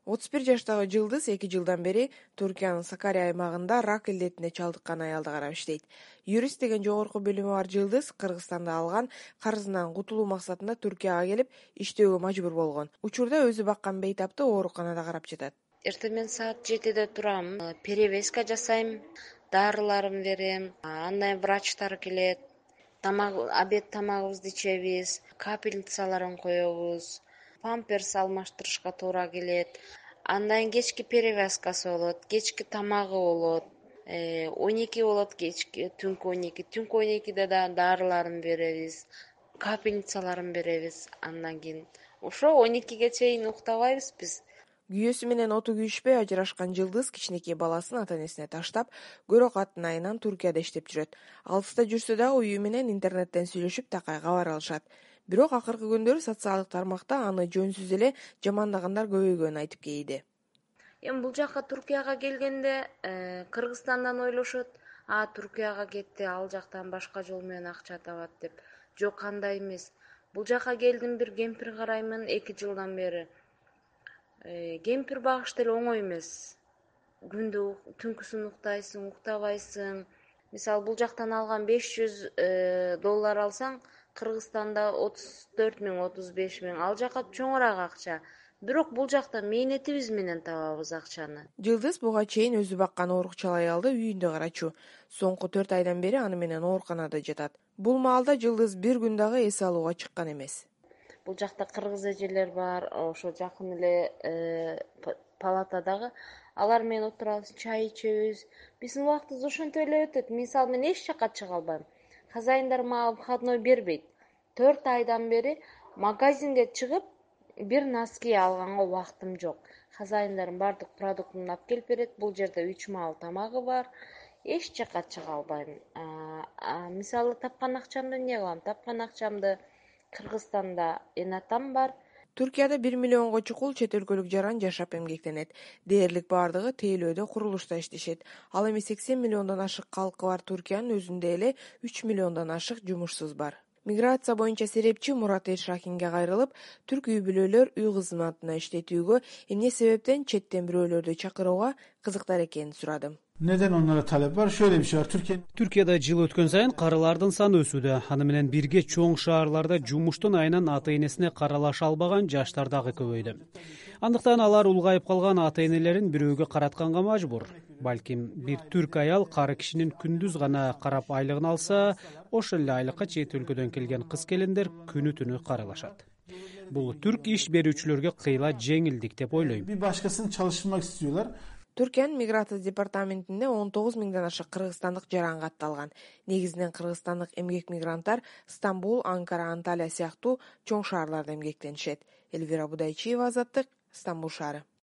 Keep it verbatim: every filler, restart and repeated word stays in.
отуз бир жаштагы Жылдыз эки жылдан бери Туркиянын Сакария аймагында рак илдетине чалдыккан аялды карап иштейт. Юрист деген жогорку билими бар Жылдыз Кыргызстанда алган карызынан кутулуу максатында Туркияга келип иштөөгө мажбур болгон. Учурда өзү баккан бейтапты ооруканада карап жатат. Эртең саат жетиде турам, перевязка жасайм, дарыларын берем, андан кийин врачтар келет, тамак, обед тамагыбызды ичебиз, капельницаларын коебуз, памперс алмаштырышка туура келет. Андан кийин кечки перевязкасы болот, кечки тамагы болот, он эки болот, кечки түнкү он эки, түнкү он экиде да дарыларын беребиз, капельницаларын беребиз. Андан кийин ошо он экиге чейин уктабайбыз биз. Күйөөсү менен оту күйүшпөй ажырашкан Жылдыз кичинекей баласын ата-энесине таштап, көрөк аттын айынан Туркияда иштеп жүрөт. Алыста жүрсө дагы үйү менен интернеттен сүйлөшүп такай кабар алышат. Бирок акыркы күндөрү социалдык тармакта аны жөнсүз эле жамандагандар көбөйгөнүн айтып кейиди. Эми бул жака Туркияга келгенде Кыргызстандан ойлошот, а Туркияга кетти, ал жактан башка жол менен акча табат деп. Жок, андай эмес. Бул жака келдим, бир кемпир караймын эки жылдан бери. Кемпир багыш деле оңой эмес. Күндү түнкүсүн уктайсың, уктабайсың. Мисалы бул жактан алган беш жүз доллар алсаң, Кыргызстанда отуз төрт миң, отуз беш миң, ал жака чоңураак акча. Бирок бул жакта мээнетибиз менен табабыз акчаны. Жылдыз буга чейин өзү баккан оорукчал аялды үйүндө карачу. Соңку төрт айдан бери аны менен ооруканада жатат. Бул маалда Жылдыз бир күн дагы эс алууга чыккан эмес. Бул жакта кыргыз эжелер бар, ошо жакын эле палатадагы. Алар менен отурабыз, чай ичебиз. Биздин убактыбыз ошентип эле өтөт. Мисалы мен эч жака чыга албайм. Хозяиндар мага выходной бербейт. төрт айдан бери магазинге чыгып, бир носки алганга убактым жок. Хозяиндардын баардык продуктун алып келип берет. Бул жерде үч маал тамагы бар. Эч жака чыга албайм. Мисалы тапкан акчамды эмне кылам? Тапкан акчамды Кыргызстанда энатам бар. Туркияда бир миллионго чукул чет өлкөлүк жаран жашап эмгектенет. Дээрлик баардыгы тейлөөдө, курулушта иштешет. Ал эми сексен миллиондон ашык калкы бар Туркиянын өзүндө эле үч миллиондон ашык жумушсуз бар. Миграция боюнча серепчи Мурат Эршакинге кайрылып, түрк үй бүлөлөр үй кызматына иштетүүгө эмне себептен четтен бирөөлөрдү чакырууга кызыктар экенин сурадым. Neden onlara talep var? Şöyle bir şey var. Türkiye Türkiye'de жыл өткөн сайын карылардын саны өсүүдө. Аны менен бирге чоң шаарларда жумуштун айынан ата-энесине каралаша албаган жаштар дагы көбөйдү. Андыктан алар улгайып калган ата-энелерин бирөөгө каратканга мажбур. Балким бир түрк аял кары кишинин күндүз гана карап айлыгын алса, ошол эле айлыкка чет өлкөдөн келген кыз келиндер күнү түнү каралашат. Бул түрк иш берүүчүлөргө кыйла жеңилдик деп ойлойм. Bir başkasını çalıştırmak istiyorlar. Түркиянын миграция департаментинде он тогуз миңден ашык кыргызстандык жаран катталган. Негизинен кыргызстандык эмгек мигранттар Стамбул, Анкара, Анталия сыяктуу чоң шаарларда эмгектенишет. Эльвира Будайчиева, Азаттык, Стамбул шаары.